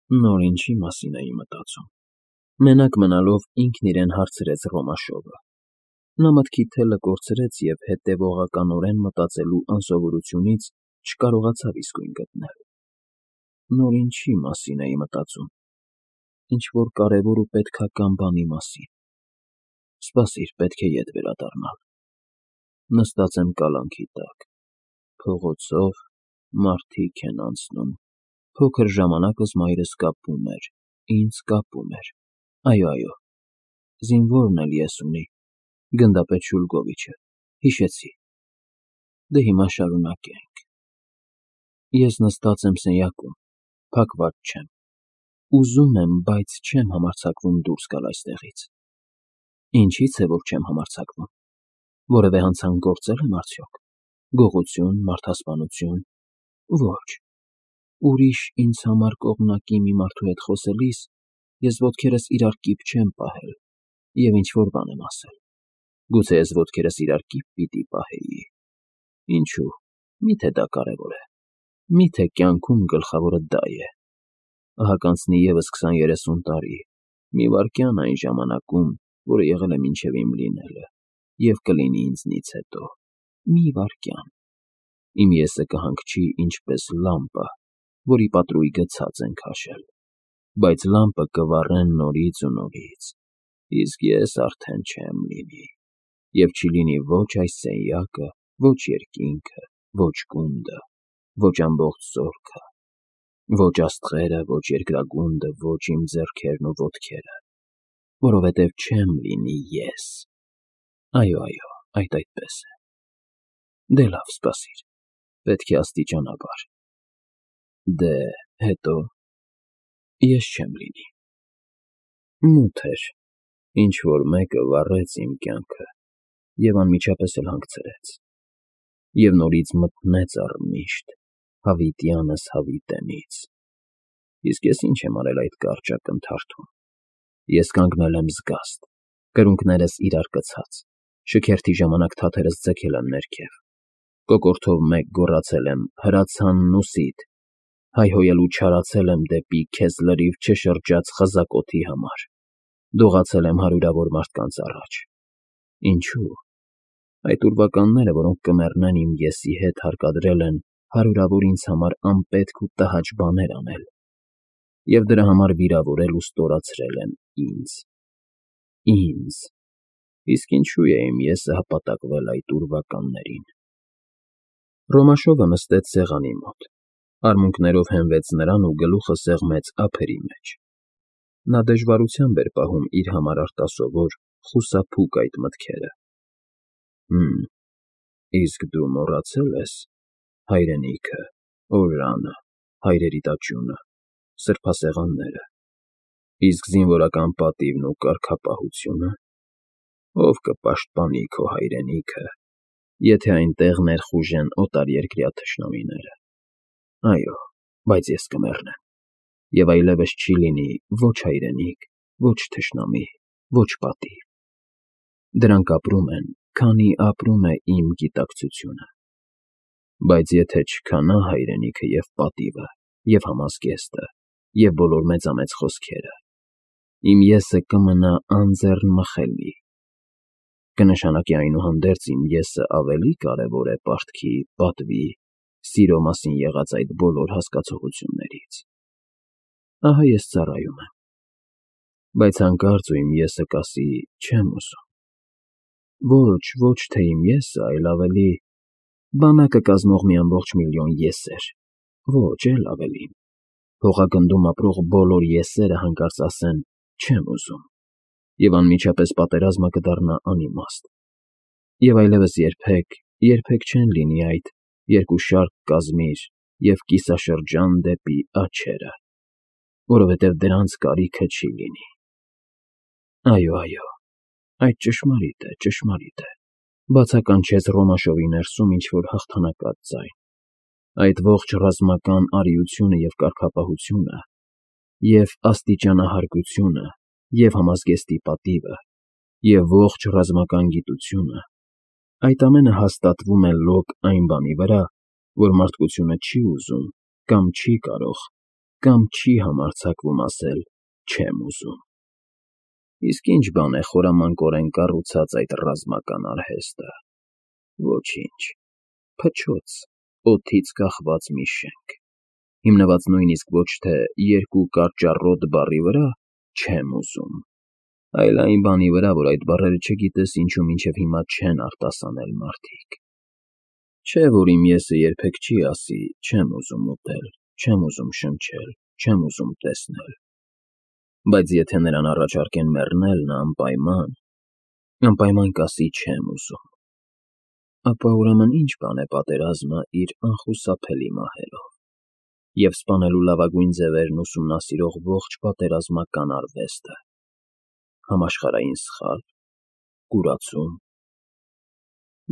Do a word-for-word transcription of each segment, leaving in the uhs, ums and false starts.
Նոր ինչի մասին էի մտածում։ Մենակ մնալով ինքն իրեն հարցրեց Ռոմաշովը։ Նա մտքի թելը կորցրեց և հետևողականորեն մտածելու անսովորությունից չկարողացավ իսկույն գտնել։ Նոր ինչի մասին էի մտածում։ Ինչ-որ կարևոր ու պետքական բանի մասին։ Սպասիր, պետք է ետ վերադառնալ։ Նստած եմ կալանքի տակ, փողոցով, մարդիկ են անցնում, փոքր ժամանակս մայրս կապում էր, ինձ կապում էր, այո, այո, զինվորն էլ ես ունի, գնդապետ Շուլգովիչը, հիշեցի, դե հիմա շարունակենք։ Ես նստած եմ սենյակում, փակված չեմ, ուզում եմ, բայց չեմ համարձակվում դուրս գալ այստեղից։ Ինչի՞ց է, որ չեմ համարձակվում, որևէ հանցանք գործել եմ արդյոք, գողություն, մարդասպանություն, ոչ, ուրիշ ինձ համար կողմնակի մի մարդու հետ խոսելիս ես ոտքերս իրար կիպ չեմ պահել և ինչ֊որ բան եմ ասել, գուցե ես ոտքերս իրար կիպ պիտի պահեի, ինչո՞ւ, մի՞թե դա կարևոր է, մի՞թե կյանքում գլխավորը դա է, ահա կանցնի ևս քսան֊երեսուն տարի, մի վայրկյան այն ժամանակում, որը եղել է մինչև իմ լինելը և կլինի ինձնից հետո, մի վայրկյան, իմ ես֊ը կհանգչի ինչպես լամպը, որի պատրույգը ցած են քաշել, բայց լամպը կվառեն նորից ու նորից, իսկ ես արդեն չեմ լինի, և չի լինի ոչ այս սենյակը, ոչ երկինքը, ոչ գունդը, ոչ ամբողջ զորքը, ոչ աստղերը, ոչ երկրագունդը, ոչ իմ ձեռքերն ու ոտքերը, որովհետև չեմ լինի ես, այո, այո, այդ այդպես է, դե լավ, սպասիր, պետք է աստիճանաբար, դե, հետո, ես չեմ լինի, մութ էր, ինչ֊որ մեկը վառեց իմ կյանքը և անմիջապես էլ հանգցրեց, և նորից մթնեց առմիշտ, հավիտյանս հավիտենից, իսկ ես ինչ եմ արել այդ կարճ ակնթարթում, ես կանգնել եմ զգաստ, կրունկներս իրար կցած, շքերթի ժամանակ թաթերս ձգել եմ ներքև, կոկորդով մեկ գոռացել եմ հրացանն ուսիդ, հայհոյելու չարացել եմ դեպի քեզ լրիվ չշրջած խզակ օդի համար, դողացել եմ հարյուրավոր մարդկանց առաջ, ինչո՞ւ, այդ ուրվականները, որոնք կմեռնեն իմ ես֊ի հետ հարկադրել են հարյուրավոր ինձ համար անպետք ու տհաճ բաներ անել և դրա համար վիրավորել ու ստորացրել են ինձ, ինձ, իսկ ինչո՞ւ է իմ ես֊ը հպատակվել այդ ուրվականներին։ Ռոմաշովը նստեց սեղանի մոտ, արմունկներով հենվեց նրան ու գլուխը սեղմեց ափերի մեջ, նա դժվարությամբ էր պահում իր համար արտասովոր, խուսափուկ այդ մտքերը։ Հըմ, իսկ դու մոռացե՞լ ես, հայրենիքը, օրրանը, հայրերի տաճյունը, սրբասեղանները, իսկ զինվորական պատիվն ու կարգապահությո՞ւնը, ով կպաշտպանի քո հայրենիքը, եթե այնտեղ ներխուժեն օտարերկրյա թշնամիները, այո, բայց ես կմեռնեմ, և այլևս չի լինի ոչ հայրենիք, ոչ թշնամի, ոչ պատիվ, դրանք ապրում են, քանի ապրում է իմ գիտակցությունը, բայց եթե չքանա հայրենիքը և պատիվը, և համազգեստը, և բոլոր մեծամեծ խոսքերը, իմ ես֊ը կմնա անձեռնմխելի, կնշանակի այնուհանդերձ իմ ես֊ը ավելի կարևոր է պարտքի, պատվի, սիրո մասին եղած այդ բոլոր հասկացություններից, ահա ես ծառայում եմ, բայց հանկարծ ու իմ ես֊ը կասի՝ չեմ ուզում, ոչ, ոչ թե իմ ես֊ը, այլ ավելի, բանակը կազմող մի ամբողջ միլիոն ես֊էր, ոչ, էլ ավելին, փողագնդում ապրող բոլոր ես֊երը հանկարծ ասեն՝ չեմ ուզում, և անմիջապես պատերազմը կդառնա անիմաստ, և այլևս երբեք, երբեք չեն լինի այդ «երկու շարք կազմիր և կիսաշրջան դեպի աջերը», որովհետև դրանց կարիքը չի լինի։ Այո, այո, այդ ճշմարիտ է, ճշմարիտ է, բացականչեց Ռոմաշովի ներսում ինչ֊որ հաղթանակած ձայն, այդ ողջ ռազմական արիությունը և կարգապահությունը, և աստիճանահարգությունը, և համազգեստի պատիվը, և ողջ ռազմական գիտությունը, այդ ամենը հաստատվում է լոկ այն բանի վրա, որ մարդկությունը չի ուզում կամ չի կարող կամ չի համարձակվում ասել «չեմ ուզում»։ Իսկ ի՞նչ բան է խորամանկորեն կառուցած այդ ռազմական արհեստը։ Ոչինչ, փչոց, օդից կախված մի շենք, հիմնված նույնիսկ ոչ թե երկու կարճառոտ բառի վրա «չեմ ուզում», այլ այն բանի վրա, որ այդ բառերը չգիտես ինչու մինչև հիմա չեն արտասանել մարդիկ։ Չէ՞ որ իմ ես-ը երբեք չի ասի «չեմ ուզում ուտել, չեմ ուզում շնչել, չեմ ուզում տեսնել», բայց եթե նրան առաջարկեն մեռնել, նա անպայման, անպայման կասի «չեմ ուզում»։ Ապա ուրեմն ի՞նչ բան է պատերազմը իր անխուսափելի մահերով և սպանելու լավագույն ձևերն ուսումնասիրող ողջ պատերազմական արվեստը։ Համաշխարհային սխալ, կուրացում։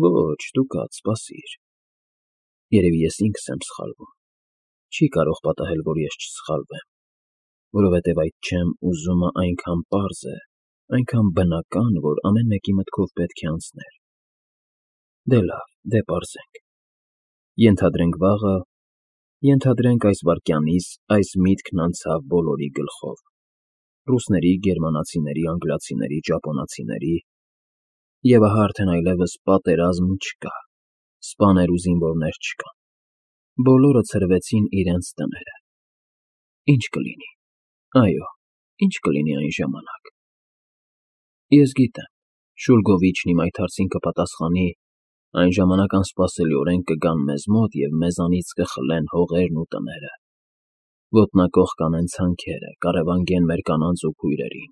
Ոչ, դու կաց, սպասիր, երևի ես ինքս եմ սխալվում, չի կարող պատահել, որ ես չսխալվեմ, որովհետև այդ «չեմ ուզում»-ը այնքան պարզ է, այնքան բնական, որ ամեն մեկի մտքով պետք է անցներ։ Դե լավ, դե պարզենք։ Ենթադրենք վաղը, ենթադրենք այս վայրկյանից այս միտքն անցավ բոլորի գլխով՝ ռուսների, գերմանացիների, անգլիացիների, ճապոնացիների, և ահա արդեն այլևս պատերազմ չկա, սպաներ ու զինվորներ չկան, բոլորը ցրվեցին իրենց տները։ Ի՞նչ կլինի, այո, ի՞նչ կլինի այն ժամանակ։ Ես գիտեմ, Շուլգովիչն իմ այդ հարցին կպատասխանի. այն ժամանակ անսպասելիորեն կգան մեզ մոտ և մեզանից կխլեն հողերն ու տները, ոտնակոխ կանեն ցանքերը, կառևանգեն մեր կանանց ու քույրերին։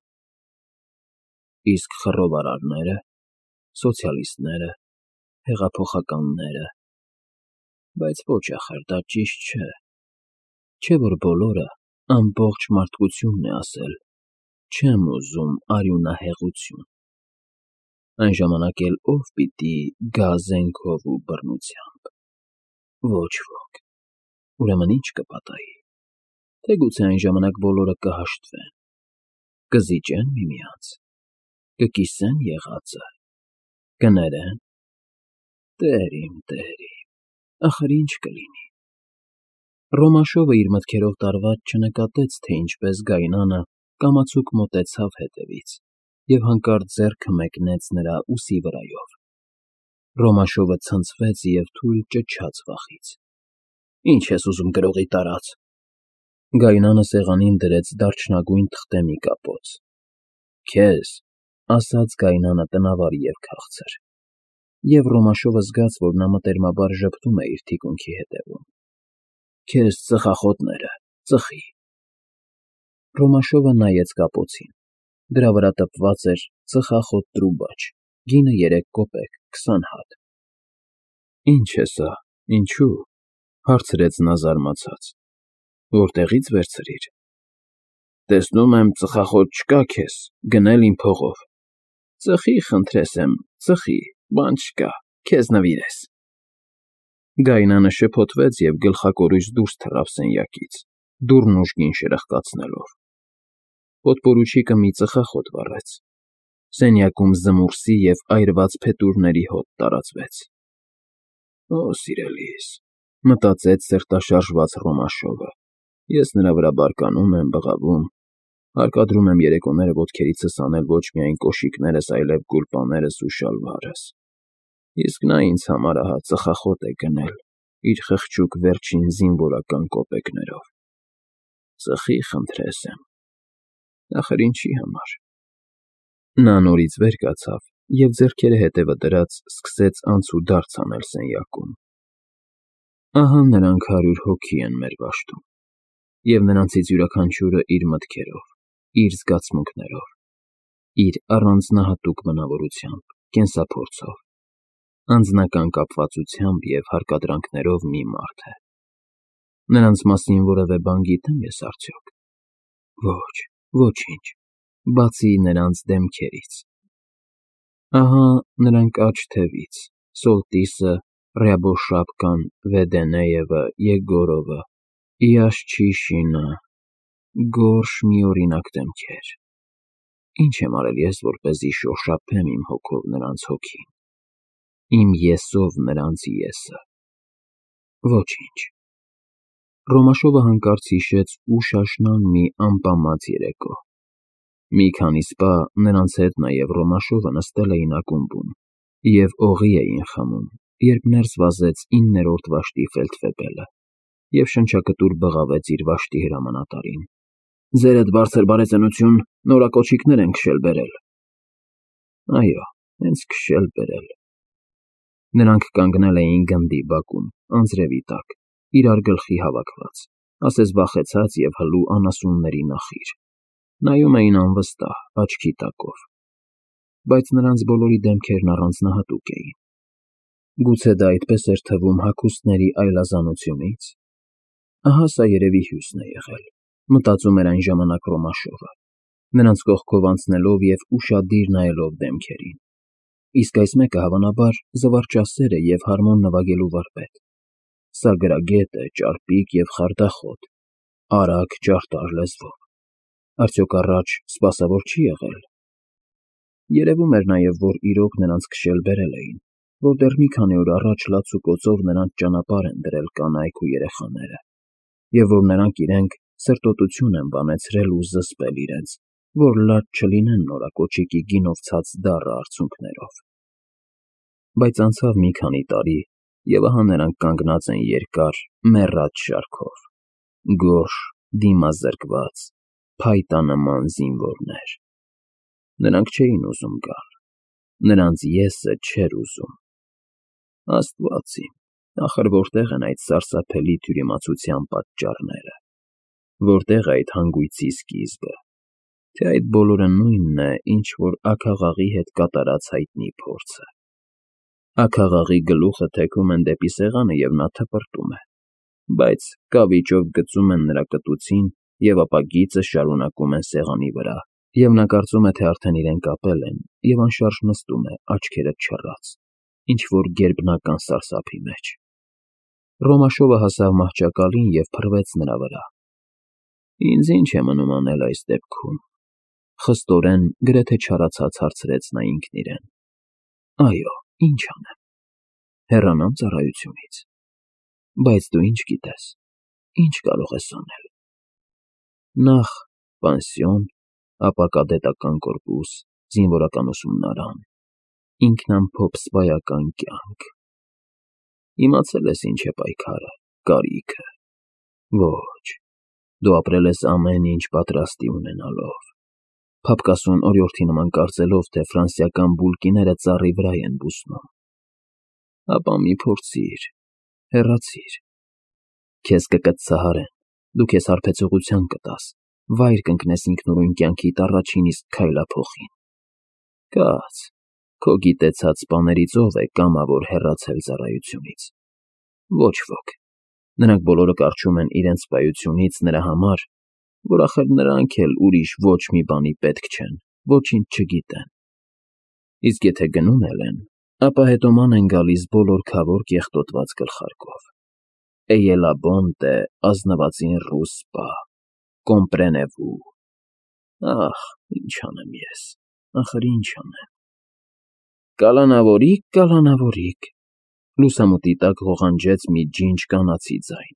Իսկ խռովարարնե՞րը, սոցիալիստները, հեղափոխականնե՞րը։ Բայց ոչ ախր, դա ճիշտ չէ։ Չէ՞ որ բոլորը, ամբողջ մարդկությունն է ասել «չեմ ուզում արյունահեղություն»։ Այն ժամանակ էլ ո՞վ պիտի գա զենքով ու բռնությամբ։ Ոչ ոք։ Ուրեմն ի՞նչ կպատահի։ Թե գուցե այն ժամանակ բոլորը կհաշտվեն, կզիջեն միմյանց, կկիսեն եղածը, կներեն։ Տեր իմ, Տեր իմ, ախր ի՞նչ կլինի։ Ռոմաշովը իր մտքերով տարված չնկատեց, թե ինչպես Գայնանը կամացուկ մոտեցավ հետևից և հանկարծ ձեռքը մեկնեց նրա ուսի վրայով։ Ռոմաշովը ցնցվեց և թույլ ճչաց վախից։ Ի՞նչ ես ուզում, գրողի տարած։ Գայնանը սեղանին դրեց դարչնագույն թղթե մի կապոց։ Քեզ, ասաց Գայնանը տնավար և քաղցր, և Ռոմաշովը զգաց, որ նա մտերմաբար ժպտում է իր թիկունքի հետևում։ Քեզ ծխախոտները, ծխի։ Ռոմաշովը նայեց կապոցին, դրա վրա տպված էր «ծխախոտ տրուբաչ, գինը երեք կոպեկ, քսան հատ»։ Ի՞նչ է սա, ինչու՞, հարցրեց նա զարմացած, որտեղի՞ց վերցրիր։ Տեսնում եմ, ծխախոտ չկա քեզ, գնել իմ փողով։ Ծխի, խնդրես եմ, ծխի, բան չկա, քեզ նվիրես։ Գայնանը շփոթվեց և գլխակորույս դուրս թռավ սենյակից, դուռն ուժգին շրխկացնելով։ Պոդպորուչիկը մի ծխախոտ վառեց։ Սենյակում զմուռսի և այրված փետուրների հոտ տարածվեց։ Օ, սիրելիս, մտածեց սրտաշարժված Ռոմաշովը, ես նրա վրա բարկանում եմ, բղավում, հարկադրում եմ երեկոները ոտքերիցս անել ոչ միայն կոշիկներս, այլև գուլպաներս ու շալվարս։ Իսկ նա ինձ համար ահա ծխախոտ է գնել իր խղճուկ վերջին զինվորական կոպեկներով։ Ծխի, խնդրես եմ, ախր ինչի համար։ Նա նորից վեր կացավ և ձեռքերը հետևը դրած սկսեց անցուդարձ անել սենյակում։ Ահա նրանք հարյուր հոգի են մեր դաշտում, և նրանցից յուրաքանչյուրը իր մտքերով, իր զգացմունքներով, իր առանձնահատուկ բնավորությամբ, կենսափորձով, անձնական կապվածությամբ և հարկադրանքներով մի մարդ է։ Նրանց մասին որևէ բան գիտե՞մ ես արդյոք։ Ոչ, ոչինչ, բացի նրանց դեմքերից։ Ահա նրանք աջ թևից, Սոլտիսը, Ռյաբոշապկան, Վեդենեևը, Եգորովը, Իաշչիշինը, գորշ միօրինակ դեմքեր։ Ինչ եմ արել ես, որպեսզի շոշափեմ իմ հոգով նրանց հոգին, իմ ես֊ով նրանց եսը։ Ոչինչ։ Ռոմաշովը հանկարծ հիշեց ուշ աշնան մի անպամած երեկո։ Մի քանի սպա, նրանց հետ նաև Ռոմաշովը նստել էին ակումբում և օղի էին խմում, երբ ներս վազեց իններորդ վաշտի ֆելդֆեբելը և շնչակտուր բղավեց իր վաշտի հրամանատարին. «Ձերդ, բարձր բարեծնություն, նորակոչիկներ են քշել֊բերել»։ Այո, հենց քշել֊բերել։ Նրանք կանգնել էին գնդի բակում, անձրևի տակ, իրար գլխի հավաքված, ասես վախեցած և հլու անասունների նախիր, նայում էին անվստահ, աչքի տակով, բայց նրանց բոլորի դեմքերն առանձնահատուկ էին։ Գուցե դա այդպես էր թվում հագուստների այլազանությունի՞ց։ Ահա սա երևի հյուսն է եղել, մտածում էր այն ժամանակ Ռոմաշովը, նրանց կողքով անցնելով և ուշադիր նայելով դեմքերին, իսկ այս մեկը, հավանաբար, զվարճասեր է և հարմոն նվագելու վարպետ։ Սա գրագետ է, ճարպիկ և խարդախոտ, արագ, ճարտար լեզվով։ Արդյոք առաջ սպասավոր չի եղել։ Երևում էր նաև, որ իրոք նրանց քշել֊բերել էին, որ դեռ մի քանի օր առաջ լաց ու կոծով նրանց ճանապարհ են դրել կանայք ու երեխաները, և որ նրանք իրենք սրտոտություն են բանեցրել ու զսպել իրենց, որ լաց չլինեն նորակոչիկի գինով ցած դառը արցունքներով։ Բայց անցավ մի քանի տարի, և ահա նրանք կանգնած են երկար, մեռած շարքով, գորշ, դիմազրկված, փայտանման զինվորներ։ Նրանք չէին ուզում գալ, նրանց «ես»-ը չէր ուզում։ Աստված իմ, ախր որտե՞ղ են այդ սարսափելի թյուրիմացության պատճառները, որտե՞ղ է այդ հանգույցի սկիզբը, թե այդ բոլորը նույնն է, ինչ որ աքաղաղի հետ կատարած հայտնի փորձը։ Աքաղաղի գլուխը թեքում են դեպի սեղանը, և նա թպրտում է, բայց կավիճով գծում են նրա կտուցին և ապա գիծը շարունակում են սեղանի վրա, և նա կարծում է, թե արդեն իրեն կապել են, և անշարժ նստում է, աչքերը չռած, ինչ֊որ գերբնական սարսափի մեջ։ Ռոմաշովը հասավ մահճակալին և փռվեց նրա վրա։ «Ինձ ի՞նչ է մնում անել այս դեպքում», խստորեն, գրեթե չարացած հարցրեց նա ինքն իրեն։ «Այո, ի՞նչ անեմ։ Հեռանա՞մ ծառայությունից։ Բայց դու ի՞նչ գիտես, ի՞նչ կարող ես անել։ Նախ՝ պանսիոն, ապա կադետական կորպուս, զինվորական ուսումնարան, ինքնամփոփ սպայական կյանք։ Իմացել ես ինչ է պայքարը, կարիքը։ Ոչ, դու ապրել ես ամեն ինչ պատրաստի ունենալով, փափկասուն օրիորդի նման կարծելով, թե ֆրանսիական բուլկիները ծառի վրա են բուսնում։ Ապա մի փորձիր, հեռացիր։ Քեզ կկծծահարեն, դու քեզ հարբեցողության կտաս, վայր կընկնես ինքնուրույն կյանքիդ առաջին իսկ քայլափոխին։ Կաց, քո գիտեցած սպաներից ո՞վ է կամավոր հեռացել ծառայությունից։ Ոչ ոք։ Նրանք բոլորը կառչում են իրենց սպայությունից նրա համար, որ ախր նրանք էլ ուրիշ ոչ մի բանի պետք չեն, ոչինչ չգիտեն։ Իսկ եթե գնում էլ են, ապա հետո ման են գալիս բոլոր քավոր կեղտոտված գլխարկով. «Էյելա բոնտե, ազնվածին ռուս սպա, կոմպրենևու»։ Ախ, ինչ անեմ ես, ախր ինչ անեմ։ «Կալանավորի՜կ, կալանավորի՜կ», լուսամուտի տակ ղողանջեց մի ջինջ կանացի ձայն։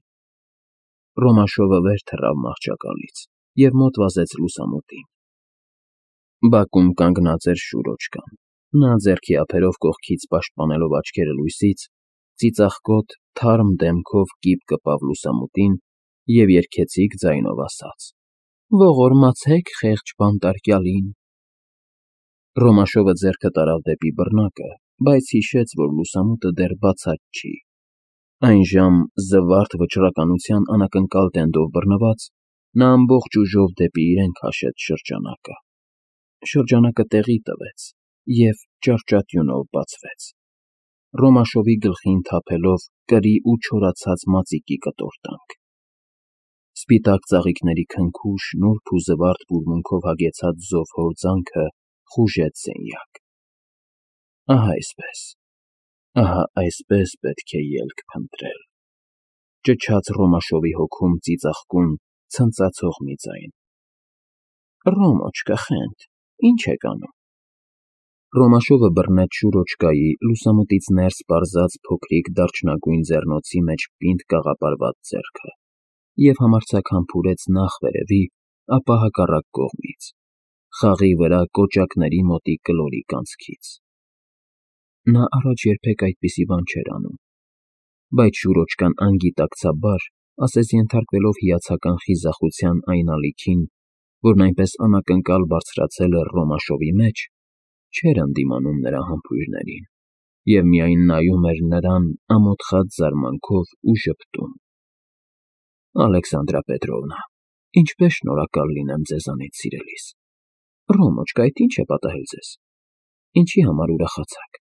Ռոմաշովը վեր թռավ մահճակալից և մոտ վազեց լուսամուտին։ Բակում կանգնած էր Շուրոջկան, նա ձեռքի ափերով կողքից պաշտպանելով աչքերը լույսից, ծիծաղկոտ, թարմ դեմքով կիպ կպավ լուսամուտին և երգեցիկ ձայնով ասաց. «Ողորմացե՛ք խեղճ բանտարկյալին»։ Ռոմաշովը ձեռքը տարավ դեպի բռնակը, բայց հիշեց, որ լուսամուտը դեռ բացած չի։ Այնժամ, զվարթ վճռականության անակնկալ տենդով բռնված, նա ամբողջ ուժով դեպի իրեն քաշեց շրջանակը։ Շրջանակը տեղի տվեց և ճարճատյունով բացվեց, Ռոմաշովի գլխին թափելով կրի ու չորացած մածիկի կտորտանք։ Սպիտակ ծաղիկների քնքուշ, նուրբ ու զվարթ բուրմունքով հագեցած զով հորձանքը խուժեց սենյակ։ Ահա այսպես, ահա այսպես պետք է ելք փնտրել, ճչաց Ռոմաշովի հոգում ծիծաղկուն, ցնծացող մի ձայն։ «Ռոմոչկա, խենթ, ի՞նչ եք անում»։ Ռոմաշովը բռնեց Շուրոջկայի լուսամուտից ներս պարզած փոքրիկ դարչնագույն ձեռնոցի մեջ պինդ կաղապարված ձեռքը և համարձակ համբուրեց նախ վերևի, ապա հակառակ կողմից, խաղի վրա կոճակների մոտիկ կլորիկ անցքից։ Նա առաջ երբեք այդպիսի բան չէր անում, բայց շուրոճկան անգիտակցաբար, ասես ենթարկվելով հիացական խիզախության այն ալիքին, որն այնպես անակնկալ բարձրացել էր Ռոմաշովի մեջ, չէր ընդդիմանում նրա համբույրներին և միայն նայում էր նրան ամոթխած զարմանքով ու ժպտում։ ֊ Ալեքսանդրա Պետրովնա, ինչպես շնորհակալ լինեմ ձեզանից, սիրելիս… Ռոմոչկա, այդ ի՞նչ է պատահել ձեզ, ինչի համար ուրախացաք,֊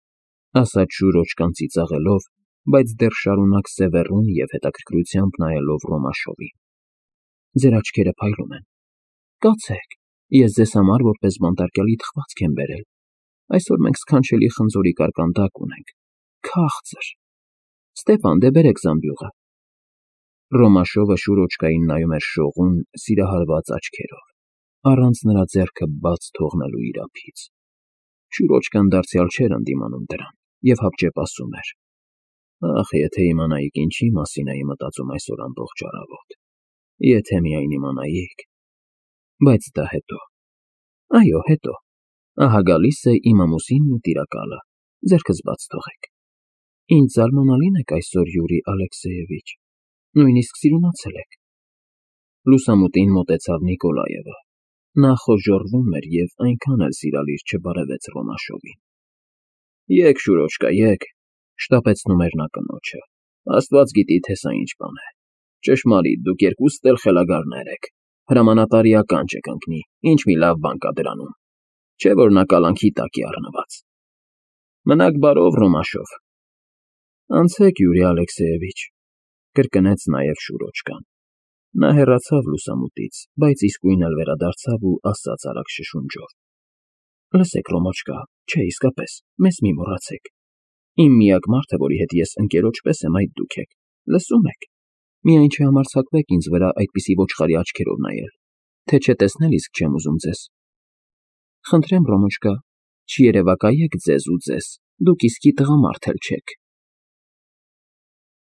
ասաց շուրոճկան ծիծաղելով, բայց դեռ շարունակ սևեռուն և հետաքրքրությամբ նայելով Ռոմաշովին։ Ձեր աչքերը փայլում են։ Կացեք, ես ձեզ համար որպես բանտարկյալի թխվածք եմ բերել։ Այսօր մենք սքանչելի խնձորի կարկանդակ ունենք, քաղցր… Ստեփան, դե բերեք զամբյուղը… Ռոմաշովը շուրոճկային նայում էր շողուն, սիրահարված աչքերով, առանց նրա ձեռքը բաց թողնելու իրափից։ Շուրոճկան դարձյալ չէր ընդդիմանում դրան և հապճեպ ասում էր. «Ախ, եթե իմանայիք ինչի մասին էի մտածում այսօր ամբողջ առավոտ… Եթե միայն իմանայիք… Բայց դա հետո… Այո, հետո… Ահա գալիս է իմ ամուսինն ու տիրակալը, ձեռքս բաց թողեք… Ինչ զարմանալին եք այսօր, Յուրի Ալեքսեևիչ, նույնիսկ սիրունացել եք…» Լուսամուտին մոտեցավ Նիկոլաևը։ Նա խոժոռվում էր և այնքան էլ սիրալիր չբարևեց Ռոմաշովին։ Եկ, Շուրոճկա, եկ,֊ շտապեցնում էր նա կնոջը,֊ Աստված գիտի, թե սա ինչ բան է… Ճշմարիտ, դուք երկուստ էլ խելագարներ եք… Հրամանատարի ականջ կընկնի, ինչ մի լավ բան կա դրանում… Չէ՞ որ նա կալանքի տակ է առնված… Մնաք բարով, Ռոմաշով… Անցեք, Յուրի Ալեքսեևիչ,֊ կրկնեց նաև շուրոճկան։ Նա հեռացավ լուսամուտից, բայց իսկույն էլ վերադարձավ ու ասաց արագ շշունջով. Լսեք, Ռոմոչկա, չէ, իսկապես, մեզ մի մոռացեք… Իմ միակ մարդը, որի հետ ես ընկերոջ պես եմ, այդ դուք եք… Լսո՞ւմ եք… Միայն չհամարձակվեք ինձ վրա այդպիսի ոչխարի աչքերով նայել, թե չէ տեսնել իսկ չեմ ուզում ձեզ… Խնդրեմ, Ռոմոչկա, չերևակայեք ձեզ ու ձեզ, դուք իսկի տղամարդ էլ չեք…